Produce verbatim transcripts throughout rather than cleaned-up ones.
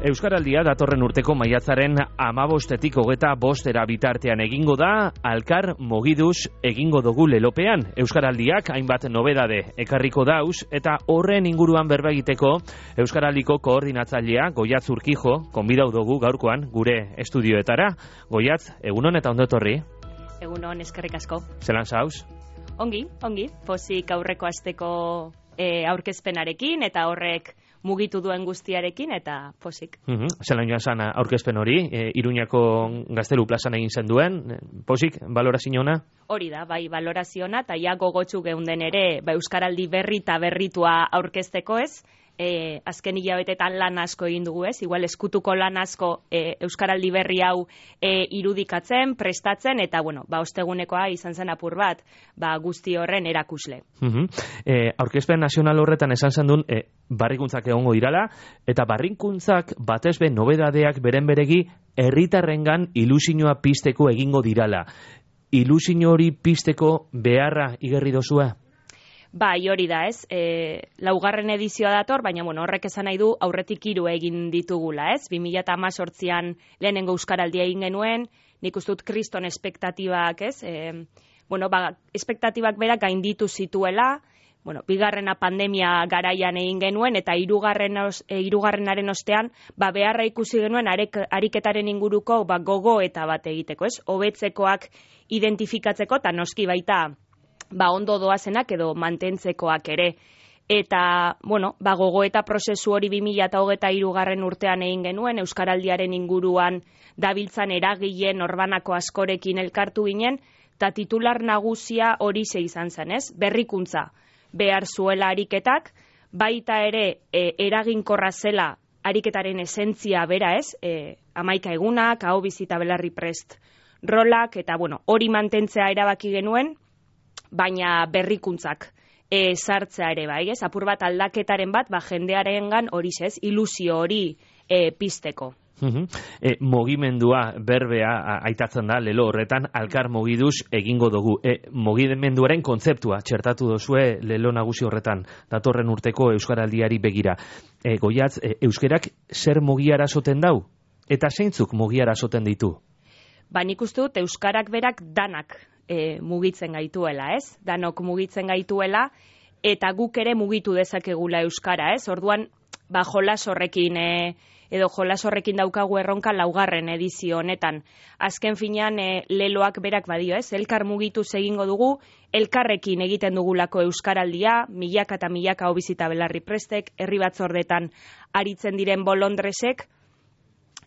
Euskaraldia datorren urteko maiatzaren hamabostetik hogeta bostera bitartean egingo da, Alkar Mogiduz egingo dugu lelopean. Euskaraldiak hainbat nobedade ekarriko dauz, eta horren inguruan berba egiteko Euskaraldiko koordinatzailea Goiatz Urkijo konbidau dugu gaurkoan gure estudioetara. Goiatz, egunon eta ondo etorri. Egunon, eskerrik asko. Zelan zauz? Ongi, ongi. Pozik aurreko asteko e, aurkezpenarekin eta horrek mugitu duen guztiarekin eta posik. Uh-huh. Zelan joan zan aurkezpen hori, e, Iruñako Gaztelu plazan egin zen duen, posik, baloraziona? Hori da, bai, baloraziona, eta ja gogotsu geunden ere, ba, Euskaraldi berri eta berritua aurkezteko ez, e, azken hilabetetan lan asko egin dugu ez, igual eskutuko lan asko e, Euskaraldi berri hau e, irudikatzen, prestatzen, eta bueno, ba, ostegunekoa izan zen apur bat, ba, guzti horren erakusle. Uh-huh. e, aurkezpen nazional horretan esan zen duen, e, barrikuntzak egongo dirala, eta barrikuntzak batez be nobedadeak beren beregi herritarrengan ilusioa pizteko egingo dirala. Ilusio hori pizteko beharra igerri dozua? Bai, hori da, ez? E, laugarren edizioa dator, baina bueno, horrek esan nahi du aurretik hiru egin ditugula, ez? bi mila hemezortzian lehenengo Euskaraldia egin genuen, nik uste dut kriston espektatibak, ez? E, bueno, ba, espektatibak berak gainditu zituela, bueno, bigarrena pandemia garaian egin genuen, eta hirugarren os, e, hirugarrenaren ostean, ba, beharra ikusi genuen arek, ariketaren inguruko ba, gogo eta bat egiteko, ez? Hobetzekoak identifikatzeko, eta noski baita, ba, ondo doazenak edo mantentzekoak ere. Eta, bueno, ba, gogo eta prozesu hori bi mila hogeita hirugarren urtean egin genuen, Euskaraldiaren inguruan dabiltzan eragileen norbanako askorekin elkartu ginen, eta titular nagusia hori ze izan zen, ez? Berrikuntza behar zuela ariketak, baita ere e, eraginkorra zela ariketaren esentzia bera, ez? E, hamaika egunak, hau bizita belarri prest rolak, eta bueno, hori mantentzea erabaki genuen, baina berrikuntzak e, sartzea ere bai, ez? Apur bat aldaketaren bat, ba, jendearengan hori ez, ilusio hori e, pizteko. Uh-huh. E, mogimendua berbea a, aitatzen da lelo horretan, Alkar Mogiduz egingo dugu. E, mogimenduaren kontzeptua txertatu dozue lelo nagusi horretan, datorren urteko Euskaraldiari begira. E, Goiatz, e, euskerak zer mogiara soten dau? Eta zeintzuk mogiara soten ditu? Ba, nik uste dut euskarak berak danak e, mugitzen gaituela, ez? Danok mugitzen gaituela, eta guk ere mugitu dezakegula euskara, ez? Orduan, ba, jolas horrekin e, edo jolas horrekin daukagu erronka laugarren edizio honetan. Azken finean e, leloak berak badio, ez? Elkar mugitu egingo dugu, elkarrekin egiten dugulako Euskaraldia, milaka eta milaka hobizita belarri prestek, herri batzordetan aritzen diren bolondresek,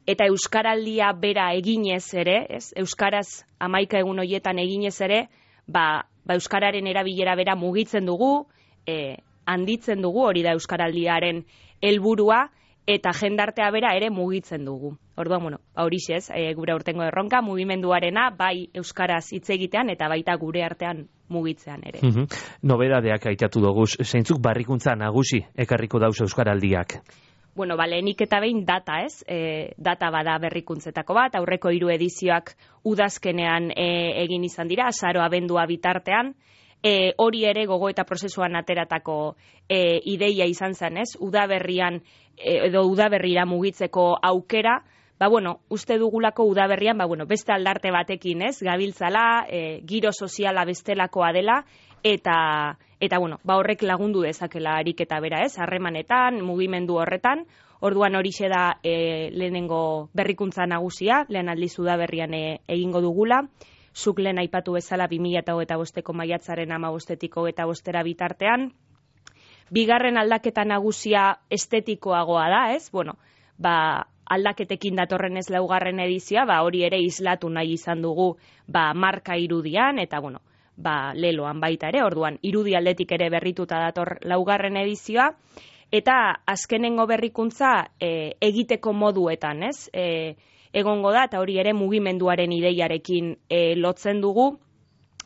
eta Euskaraldia bera eginez ere, ez? Euskaraz hamaika egun hoietan eginez ere, ba, ba Euskararen erabilera bera mugitzen dugu, e, handitzen dugu, hori da Euskaraldiaren helburua, eta jendartea bera ere mugitzen dugu. Orduan, bueno, horixe ez, e, gure aurtengo erronka, mugimenduarena, bai Euskaraz hitz egitean, eta baita gure artean mugitzean ere. Uh-huh. Nobedadeak aitatu dugu, zeintzuk barrikuntza nagusi ekarriko dauz Euskaraldiak? Bueno, ba, lehenik eta behin data, ez? E, data bada berrikuntzetako bat, aurreko hiru edizioak udazkenean e, egin izan dira, azaro abendua bitartean, e, hori ere gogo eta prozesuan ateratako e, ideia izan zen, ez? Udaberrian, e, edo udaberrira mugitzeko aukera, ba, bueno, uste dugulako udaberrian, ba, bueno, beste aldarte batekin, ez? Gabiltzala, e, giro soziala bestelakoa dela, eta... Eta, bueno, ba horrek lagundu dezakela ariketa bera, ez? Harremanetan, mugimendu horretan, orduan horixe da e, lehenengo berrikuntza nagusia, lehen aldiz udaberrian e, egingo dugula, zuk lehen aipatu bezala bi mila hogeita bosteko maiatzaren hamabostetik hogeita bostera bitartean. Bigarren aldaketa nagusia estetikoagoa da, ez? Bueno, ba, aldaketekin datorren ez laugarren edizioa, ba hori ere islatu nahi izan dugu, ba marka irudian, eta, bueno, ba, leloan baita ere, orduan, irudi aldetik ere berrituta dator laugarren edizioa, eta azkenengo berrikuntza e, egiteko moduetan, ez? E, egongo da, eta hori ere mugimenduaren ideiarekin e, lotzen dugu.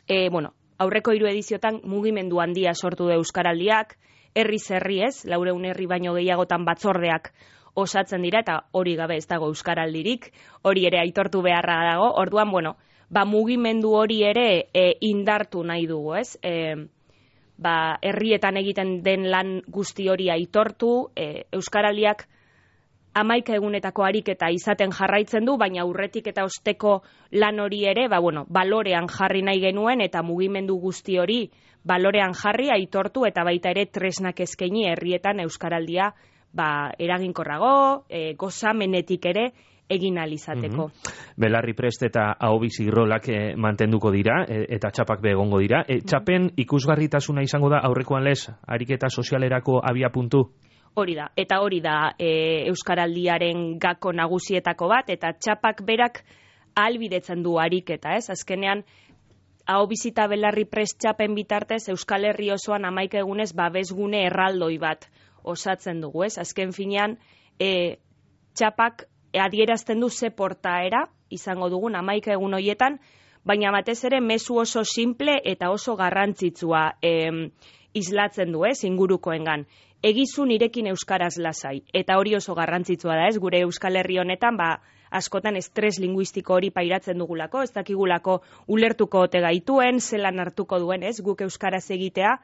E, bueno, aurreko hiru ediziotan mugimendu handia sortu du Euskaraldiak, herriz herri ez, laureun herri baino gehiagotan batzordeak osatzen dira, eta hori gabe ez dago Euskaraldirik, hori ere aitortu beharra dago, orduan, bueno, ba, mugimendu hori ere e, indartu nahi dugu, ez? E, ba, herrietan egiten den lan guzti hori aitortu, e, Euskaraldiak hamaika egunetako ariketa izaten jarraitzen du, baina aurretik eta osteko lan hori ere, ba, bueno, balorean jarri nahi genuen eta mugimendu guzti hori balorean jarri, aitortu eta baita ere tresnak eskaini herrietan euskaraldia ba, eraginkorrago, e, gozamenetik ere egin alizateko. Mm-hmm. Belarri Prest eta ahobizi rolak e, mantenduko dira, e, eta txapak begongo dira. E, txapen ikusgarritasuna izango da aurrekoan lez, ariketa sozialerako abia puntu? Hori da, eta hori da e, euskaraldiaren gako nagusietako bat, eta txapak berak ahalbidetzen du ariketa, ez? Azkenean, ahobizita Belarri Prest txapen bitartez, Euskal Herri osoan hamaika egunez babesgune erraldoi bat osatzen dugu, ez? Azken finean, e, txapak adierazten du ze portaera izango dugun hamaika egun hoietan, baina batez ere mezu oso simple eta oso garrantzitsua e, islatzen du, ez? Ingurukoengan. Egizu nirekin euskaraz lasai, eta hori oso garrantzitsua da, ez? Gure Euskal Herri honetan, ba, askotan estres linguistiko hori pairatzen dugulako, ez dakigulako ulertuko ote gaituen, zelan hartuko duen, ez? Guk euskaraz egitea,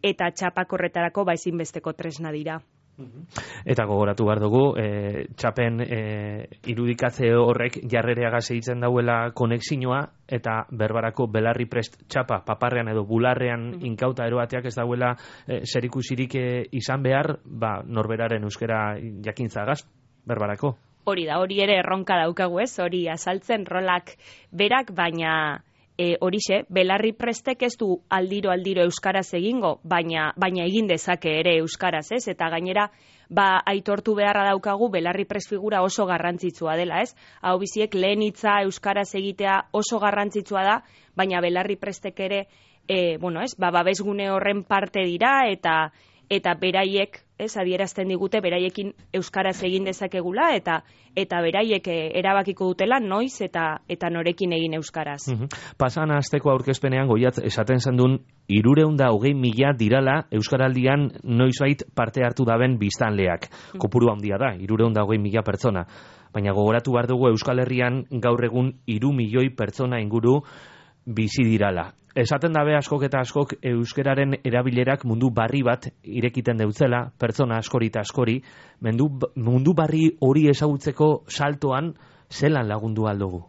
eta txapak horretarako ba ezinbesteko tresna dira. Eta gogoratu behar dugu, e, txapen e, irudikatze horrek jarrereaga segitzen dauela konexinoa, eta berbarako Belarri Prest txapa, paparrean edo bularrean mm-hmm. inkauta eroateak ez dauela e, zerikusirik e, izan behar, ba, norberaren euskera jakintzagaz, berbarako. Hori da, hori ere erronka daukagu ez, hori azaltzen rolak berak, baina e, horixe, Belarri Prestek ez du aldiro-aldiro euskaraz egingo, baina, baina egin dezake ere euskaraz ez, eta gainera, ba, aitortu beharra daukagu Belarri Prest figura oso garrantzitsua dela ez, hau biziek lehen hitza euskaraz egitea oso garrantzitsua da, baina Belarri Prestek ere, e, bueno ez, ba, babesgune horren parte dira, eta eta beraiek, ez, adierazten digute, beraiekin euskaraz egin dezakegula, eta eta beraiek erabakiko dutela noiz eta eta norekin egin euskaraz. Mm-hmm. Pasan asteko aurkezpenean Goiat esaten zendun hirurehun eta hogei mila dirala euskaraldian noizbait parte hartu daben biztanleak. Mm-hmm. Kopuru handia da, hirurehun eta hogei mila pertsona. Baina gogoratu behar dugu Euskal Herrian gaur egun hiru milioi pertsona inguru bizi dirala. Esaten dabe askok eta askok euskararen erabilerak mundu barri bat irekiten deutzela, pertsona askori eta askori, mundu, mundu barri hori ezagutzeko saltoan zelan lagundu aldugu?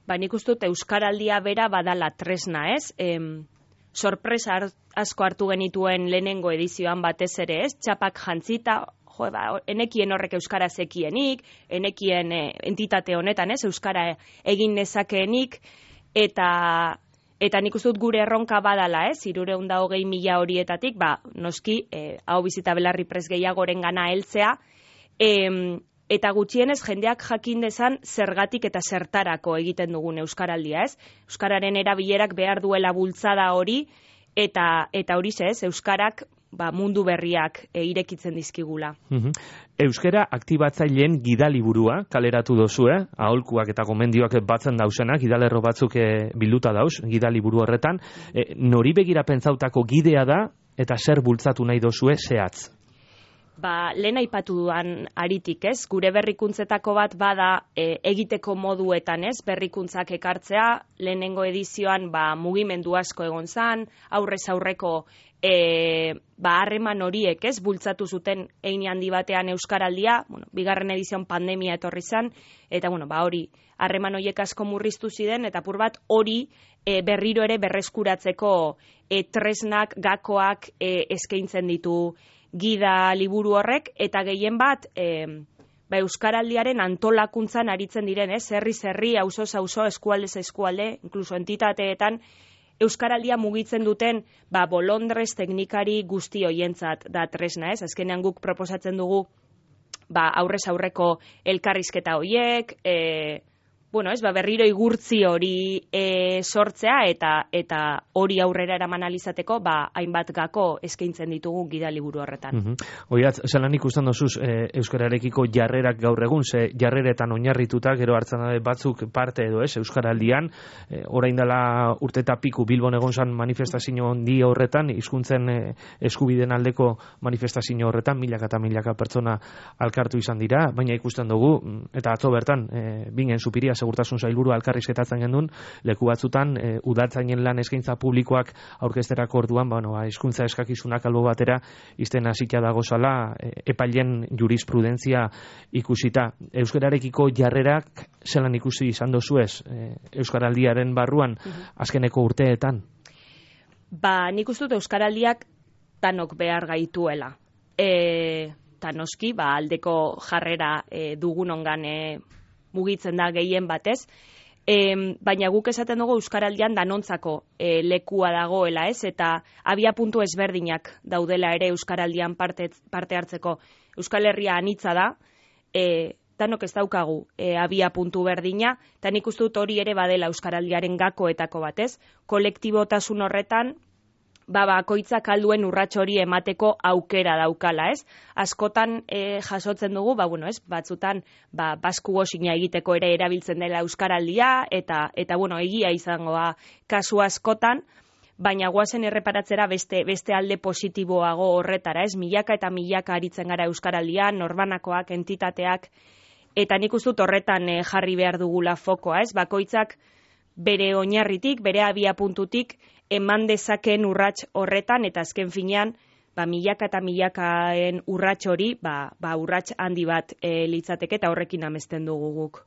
Ba, nik uste dut euskaraldia bera badala tresna, ez? Em, sorpresa asko hartu genituen lehenengo edizioan batez ere, ez? Txapak jantzita, jo, ba, enekien horrek euskara zekienik, enekien e, entitate honetan, ez? Euskara egin nezakeenik, eta... Eta nik uste dut gure erronka badala, ez, hirurehun eta hogei mila horietatik, ba, noski, eh, ahobizita Belarri Prest gehiagoren gana heltzea, eh, eta gutxienez jendeak jakin dezan zergatik eta zertarako egiten dugun euskaraldia, ez? Euskararen erabilerak behar duela bultzada hori, eta eta hori ez, euskarak ba, mundu berriak e, irekitzen dizkigula. Mm-hmm. Euskara aktibatzaileen gidaliburua kaleratu dozu, eh? Aholkuak eta gomendioak batzen dausenak, gidalerro batzuk e, bilduta dauz, gidaliburu horretan. E, nori begira pentsautako gidea da, eta zer bultzatu nahi dozue zehatz? Ba, lehen aipatu duan aritik, ez? Gure berrikuntzetako bat bada e, egiteko moduetan, ez? Berrikuntzak ekartzea, lehenengo edizioan ba, mugimendu asko egon zan, aurrez aurreko e, ba, harreman horiek, ez? Bultzatu zuten hein handi batean euskaraldia, bueno, bigarren edizioan pandemia etorri zan, eta bueno, ba, hori, harreman horiek asko murriztu ziren, eta pur bat hori e, berriro ere berreskuratzeko e, tresnak, gakoak e, eskaintzen ditu gida liburu horrek, eta gehien bat e, ba, euskaraldiaren antolakuntzan aritzen diren, ez? Herriz herri, auzoz auzo, eskualdez eskualde, inkluso entitateetan, euskaraldia mugitzen duten ba, bolondrez teknikari guzti hoientzat da tresna, ez? Azkenean guk proposatzen dugu ba, aurrez aurreko elkarrizketa hoiek, e, bueno, ez, ba, berriro igurtzi hori e, sortzea eta eta hori aurrera eraman alizateko, ba, hainbat gako eskaintzen ditugu gidaliburu horretan. Mm-hmm. Oiat, zelan ikusten dozuz e, euskararekiko jarrerak gaur egun, ze jarreretan oinarrituta, gero hartzen da batzuk parte edo ez, euskaraldian, e, orain dela urte eta piku Bilbon egon zan manifestazio handi horretan, hizkuntzen e, eskubideen aldeko manifestazio horretan, milaka eta milaka pertsona alkartu izan dira, baina ikusten dugu, eta atzo bertan, e, bingen Zupiria segurtasun sailburu alkarrizketatzen gendun, leku batzutan e, udaltzainen lan eskaintza publikoak aurkezterako orduan, bueno, hizkuntza eskakizunak albo batera izten hasita dagozala e, epailen jurisprudentzia ikusita. Euskararekiko jarrerak zelan ikusi izan dozuez e, Euskaraldiaren barruan azkeneko urteetan? Ba, nik uste dut Euskaraldiak tanok behar gaituela. E, ta noski, ba, aldeko jarrera e, dugunongan e, mugitzen da gehien batez, e, baina guk esaten dugu Euskaraldian danontzako e, lekua dagoela, ez? Eta abia puntu ezberdinak daudela ere Euskaraldian parte, parte hartzeko. Euskal Herria anitza da, e, danok ez daukagu e, abia puntu berdina, eta nik uste dut hori ere badela Euskaraldiaren gakoetako batez, kolektibotasun horretan, ba, bakoitzak alduen urrats hori emateko aukera daukala, ez? Askotan e, jasotzen dugu, ba, bueno, ez, batzutan, ba, basku gosina egiteko ere erabiltzen dela Euskaraldia, eta, eta bueno, egia izangoa kasu askotan, baina guazen erreparatzera beste, beste alde positiboago horretara, ez? Milaka eta milaka aritzen gara Euskaraldian, norbanakoak, entitateak, eta nik uste dut horretan e, jarri behar dugula fokoa, ez? Bakoitzak bere oinarritik, bere abia puntutik, eman dezakeen urrats horretan, eta azken finean, ba, milaka eta milakaen urrats hori, ba, ba urrats handi bat e, litzateke, eta horrekin amesten dugu guk.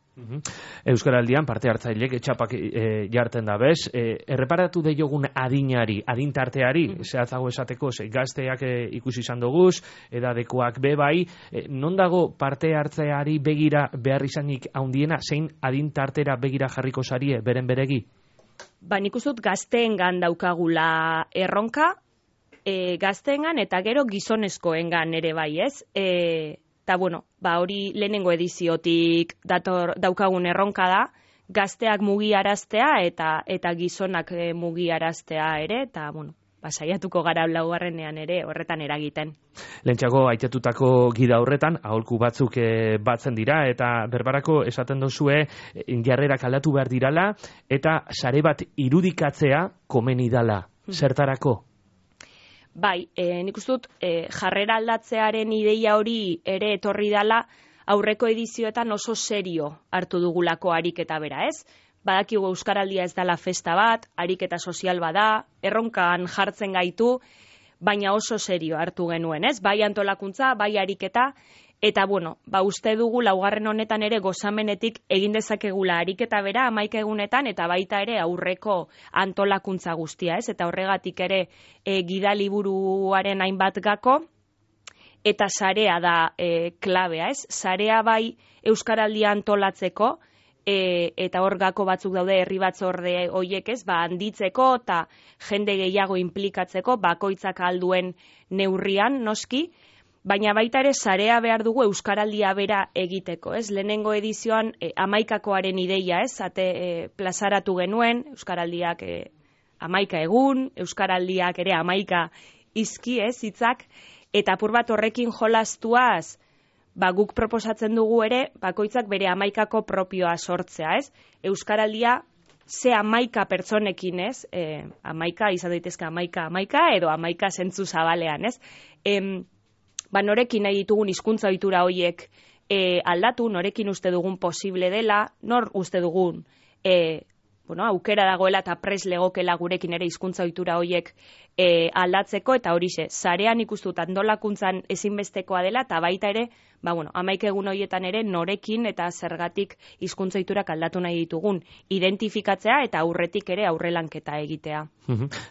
Euskaraldian parte hartzailek etxapak e, jarten da bez, e, erreparatu deiogun adinari, adintarteari, mm -hmm. zehatzago esateko, ze, gazteak e, ikusi izan doguz, edadekoak be bai, e, non dago parte hartzeari begira behar izanik haundiena, zein adintartera begira jarriko zarie, beren beregi? Ba, nik uste dut gazteengan daukagula erronka, e, gazteengan eta gero gizonezkoengan ere bai, ez? E, eta, bueno, ba, hori lehenengo ediziotik dator, daukagun erronka da, gazteak mugiaraztea eta eta gizonak e, mugiaraztea ere, eta, bueno, ba, saiatuko gara laugarrenean ere horretan eragiten. Lehentxago aitetutako gida horretan, aholku batzuk e, batzen dira, eta berbarako esaten dozue jarrerak aldatu behar dirala, eta sare bat irudikatzea komeni dala. Zertarako? Bai, e, nik uste dut e, jarrera aldatzearen ideia hori ere etorri dala aurreko edizioetan oso serio hartu dugulako ariketa bera, ez? Badakigu Euskaraldia ez dela festa bat, ariketa sozial bada, erronkan jartzen gaitu, baina oso serio hartu genuen, ez? Bai antolakuntza, bai ariketa, eta bueno, ba uste dugu laugarren honetan ere gozamenetik egin dezakegula ariketa bera hamaika egunetan, eta baita ere aurreko antolakuntza guztia, ez? Eta horregatik ere e, gidaliburuaren hainbat gako, eta sarea da e, klabea, ez? Sarea bai Euskaraldia antolatzeko, E, eta hor gako batzuk daude herri batzorde hoiek, ez, ba, handitzeko eta jende gehiago inplikatzeko, bakoitzak alduen neurrian, noski, baina baita ere sarea behar dugu Euskaraldia bera egiteko, ez, lehenengo edizioan e, hamaikakoaren ideia, ez, ate e, plazaratu genuen, Euskaraldiak e, hamaika egun, Euskaraldiak ere hamaika izki, ez, hitzak, eta apur bat horrekin jolastuaz, ba, guk proposatzen dugu ere, bakoitzak bere hamaikako propioa sortzea, ez? Euskaraldia ze hamaika pertsonekin, ez? E, hamaika, izan daitezke hamaika, hamaika, edo hamaika zentzu zabalean, ez? Em, ba, norekin nahi ditugun hizkuntza ohitura horiek e, aldatu, norekin uste dugun posible dela, nor uste dugun e, bueno, aukera dagoela eta pres legokela gurekin ere hizkuntza ohitura horiek e, aldatzeko, eta horixe, sarean ikustut antolakuntzan ezinbestekoa dela, eta baita ere, ba, bueno, hamaika egun horietan ere norekin eta zergatik hizkuntza ohiturak aldatu nahi ditugun identifikatzea eta aurretik ere aurrelanketa egitea.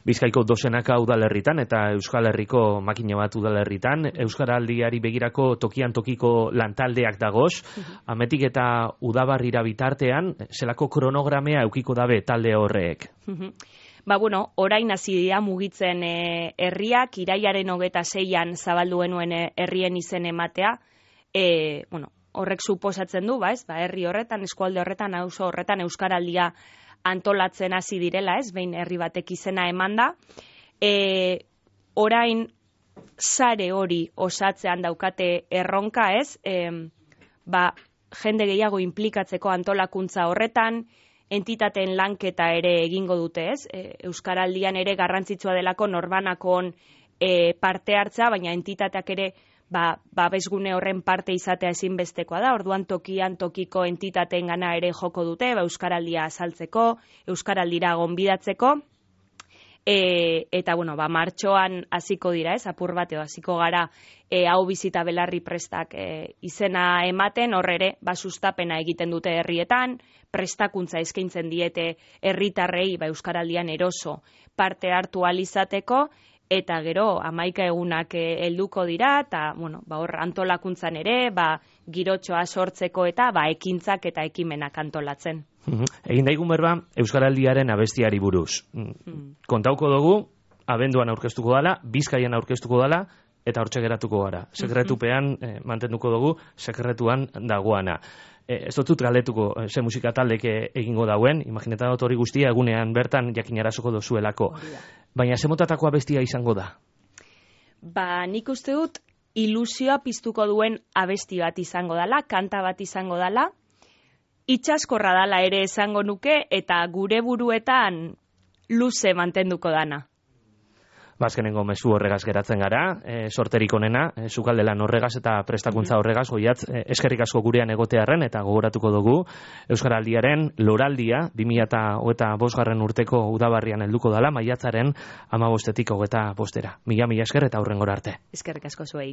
Bizkaiko dozenaka udalerritan eta Euskal Herriko makina bat udalerritan, Euskaraldiari begirako tokian tokiko lantaldeak dagoz, ametik eta udabarrira bitartean, zelako kronogramea eukiko dabe talde horrek? Ba, bueno, orain hasi dira mugitzen e, herriak, iraiaren hogeta seian zabaldu genuen e, herrien izen ematea, e, bueno, horrek suposatzen du, ba, ez, ba, herri horretan, eskualde horretan, auzo horretan Euskaraldia antolatzen hasi direla, ez, behin herri batek izena emanda. E, orain sare hori osatzean daukate erronka, ez, e, ba, jende gehiago inplikatzeko antolakuntza horretan, entitateen lanketa ere egingo dute, ez? E, Euskaraldian ere garrantzitsua delako norbanakon e, parte hartza, baina entitateak ere ba, babesgune horren parte izatea ezinbestekoa da, orduan tokian tokiko entitateen gana ere joko dute, ba, Euskaraldia azaltzeko, Euskaraldira gonbidatzeko, e, eta, bueno, ba, martxoan hasiko dira, ez, apur bateo, hasiko gara, e, hau bizita belarri prestak e, izena ematen, horre ere, ba, sustapena egiten dute herrietan, prestakuntza eskaintzen diete herritarrei, ba, Euskaraldian eroso parte hartu alizateko, eta gero hamaika egunak helduko dira, eta bueno, ba, hor antolakuntzan ere, ba, girotxoa sortzeko eta ba, ekintzak eta ekimenak antolatzen. Egin daigun berba, Euskaraldiaren abestiari buruz. Mm. Kontauko dugu, abenduan aurkeztuko dala, Bizkaian aurkeztuko dala, eta hortxe geratuko gara. Sekretupean eh, mantenduko dugu, sekretuan dagoana. Eh, ez dut galdetuko eh, ze musika taldeke egingo dauen, imagineta dut hori guztia egunean bertan jakinarazoko dozuelako. Baina ze motatako abestia izango da? Ba, nik uste dut ilusioa piztuko duen abesti bat izango dala, kanta bat izango dala, itxaskorra dala ere esango nuke, eta gure buruetan luze mantenduko dana. Bazkenengo mezu horregaz geratzen gara, e, sorterik onena, e, sukaldelan horregaz eta prestakuntza horregaz, goiat, e, eskerrik asko gurean egotearren, eta gogoratuko dugu, Euskaraldiaren loraldia, bi mila hogeita bosgarren urteko udabarrian helduko dala, maiatzaren hamabostetik hogeita bostera. Mila mila esker eta hurrengora arte. Eskerrik asko zuei.